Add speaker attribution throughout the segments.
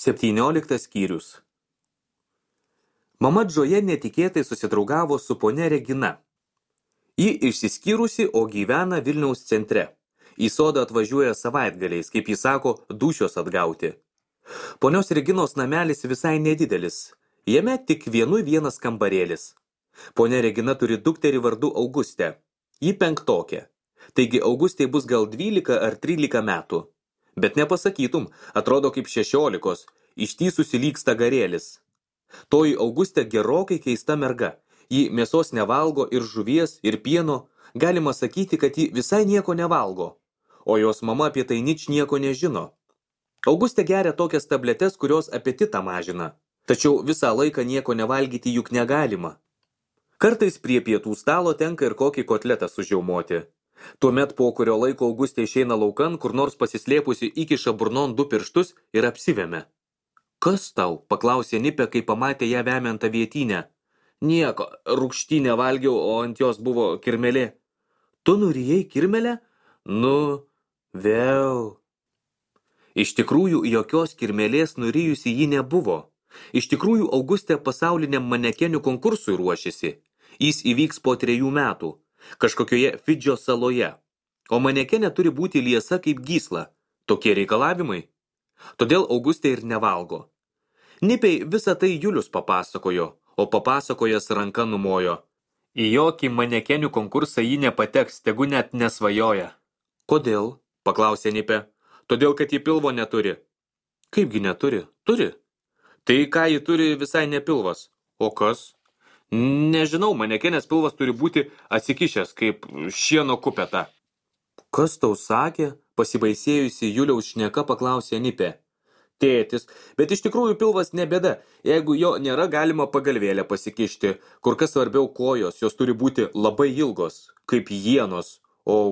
Speaker 1: 17 skyrius. Mama Džoja netikėtai susidraugavo su ponia Regina. Ji išsiskyrusi, o gyvena Vilniaus centre. Į sodą atvažiuoja savaitgaliais, kaip jis sako, dūšios atgauti. Ponios Reginos namelis visai nedidelis. Jame tik vienas kambarėlis. Ponia Regina turi dukterį vardu Augustę. Ji 5. Taigi Augustei bus gal 12 ar 13 metų. Bet nepasakytum, atrodo kaip 16, ištįsusi lyg stagarėlis. Toji Augustė gerokai keista merga. Ji mėsos nevalgo ir žuvies, ir pieno. Galima sakyti, kad ji visai nieko nevalgo. O jos mama apie tai ničnieko nežino. Augustė geria tokias tabletes, kurios apetitą mažina. Tačiau visą laiką nieko nevalgyti juk negalima. Kartais prie pietų stalo tenka ir kokį kotletą sužiaumoti. Tuomet po kurio laiko Augustė išeina laukan, kur nors pasislėpusi įkiša burnon 2 pirštus ir apsivemia. Kas tau? Paklausė Nipė, kai pamatė ją vemiant avietinę. Nieko, rūgštynę valgiau, o ant jos buvo kirmelė. Tu nurijai kirmelę? Nu, vėl. Iš tikrųjų, jokios kirmelės nurijusi ji nebuvo. Iš tikrųjų, Augustė pasauliniam manekenių konkursui ruošiasi. Jis įvyks po 3 metų, kažkokioje Fidžio saloje. O manekenė turi būti liesa kaip gysla. Tokie reikalavimai. Todėl Augustė ir nevalgo. Nipei visą tai Julius papasakojo, o papasakojęs ranka numojo. Į jokį manekenių konkursą ji nepateks, tegu net nesvajoja. Kodėl? Paklausė Nipė. Todėl, kad ji pilvo neturi. Kaipgi neturi? Turi. Tai ką ji turi visai ne pilvas. O kas? Nežinau, manekenės pilvas turi būti atsikišęs, kaip šieno kupeta. Kas tau sakė? Pasibaisėjusi Juliaus šneka paklausė Nipė. Tėtis, bet iš tikrųjų pilvas ne bėda. Jeigu jo nėra, galima pagalvėlę pasikišti. Kur kas svarbiau kojos, jos turi būti labai ilgos, kaip ienos. O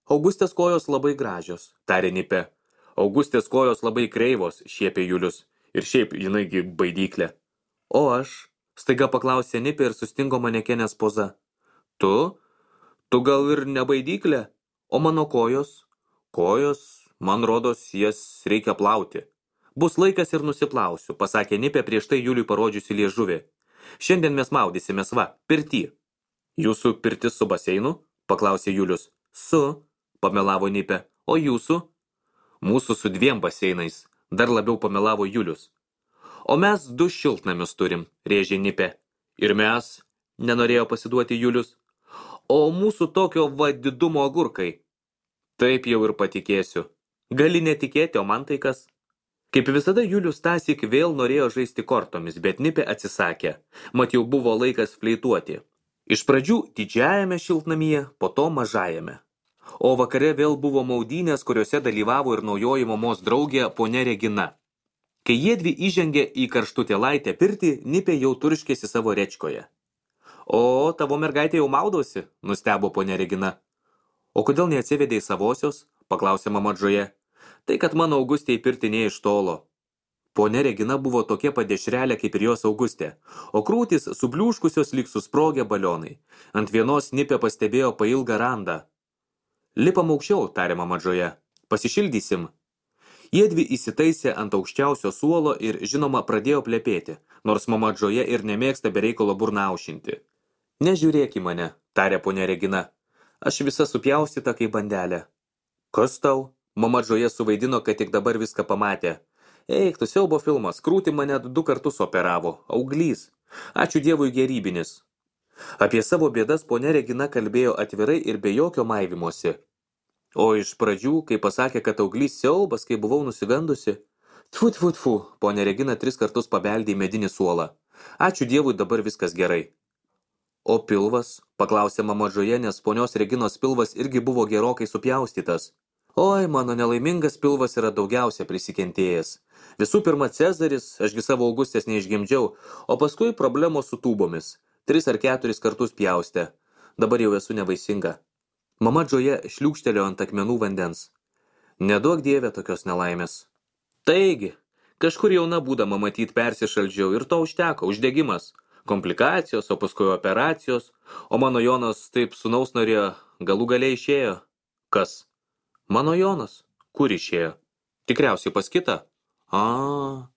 Speaker 1: Augustės kojos labai gražios, tarė Nipė. Augustės kojos labai kreivos, šiepė Julius. Ir šiaip jinaigi baidyklė. O aš? Staiga paklausė Nipė ir sustingo manekenės poza. Tu gal ir ne baidyklė? O mano kojos? Kojos, man rodos, jas reikia plauti. Bus laikas ir nusiplausiu, pasakė Nipė prieš tai Juliui parodžiusi liežuvį. Šiandien mes maudysimės pirty. Jūsų pirtis su baseinu? Paklausė Julius. Su, pamelavo Nipė. O jūsų? Mūsų su 2 baseinais, dar labiau pamelavo Julius. O mes 2 šiltnamius turim, rėžė Nipė. Ir mes, nenorėjo pasiduoti Julius. O mūsų tokio didumo agurkai. Taip jau ir patikėsiu. Gali netikėti, o man tai kas? Kaip visada Julius tąsyk vėl norėjo žaisti kortomis, bet Nipė atsisakė. Mat jau buvo laikas fleituoti. Iš pradžių didžiajame šiltnamyje, po to mažajame. O vakare vėl buvo maudynės, kuriuose dalyvavo ir naujoji mamos draugė ponia Regina. Kai jiedvi įžengė į karštutėlaitę pirtį, Nipė jau turškėsi savo rečkoje. O, tavo mergaitė jau maudosi, nustebo ponia Regina. O kodėl neatsivedė savosios? Paklausė mama Džoja. Tai, kad mano Augustė į pirtį ne iš tolo. Ponia Regina buvo tokia padešrelė kaip ir jos Augustė, o krūtis subliūškusios lyg susprogę balionai. Ant vienos Nipė pastebėjo pailgą randą. Lipam aukščiau, tarė mama Džoja. Pasišildysim. Jiedvi įsitaisė ant aukščiausio suolo ir, žinoma, pradėjo plepėti, nors mama Džoja ir nemėgsta bereikalo burną aušinti. Nežiūrėk į mane, tarė ponia Regina. Aš visa supjaustyta kaip bandelė. Kas tau? Mama Džoja suvaidino, kad tik dabar viską pamatė. Eik, tu siaubo filmas, krūtį mane 2 kartus operavo. Auglys. Ačiū Dievui gerybinis. Apie savo bėdas ponia Regina kalbėjo atvirai ir be jokio maivimosi. O iš pradžių, kai pasakė, kad auglys siaubas, kai buvau nusigandusi. Tfu, ponia Regina 3 kartus pabeldė į medinį suolą. Ačiū Dievui, dabar viskas gerai. O pilvas? Paklausė mama Džoja, nes ponios Reginos pilvas irgi buvo gerokai supjaustytas. Oi, mano nelaimingas pilvas yra daugiausia prisikentėjęs. Visų pirma Cezaris, ašgi savo Augustės neišgimdžiau, o paskui problemos su tūbomis. 3 ar 4 kartus pjaustė. Dabar jau esu nevaisinga. Mama Džoja šliūkštelėjo ant akmenų vandens. Neduok Dieve tokios nelaimės. Taigi, kažkur jauna būdama matyt persišaldžiau ir to užteko, uždegimas. Komplikacijos, o paskui operacijos. O mano Jonas taip sūnaus norėjo, galų galiai išėjo. Kas? Mano Jonas. Kur išėjo? Tikriausiai pas kitą. A.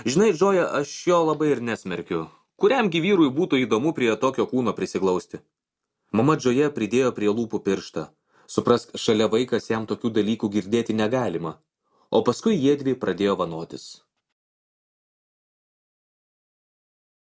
Speaker 1: Žinai, Džoja, aš jo labai ir nesmerkiu. Kuriamgi vyrui būtų įdomu prie tokio kūno prisiglausti? Mama Džoja pridėjo prie lūpų pirštą. Suprask, šalia vaikas jam tokių dalykų girdėti negalima. O paskui jiedvi pradėjo vanotis.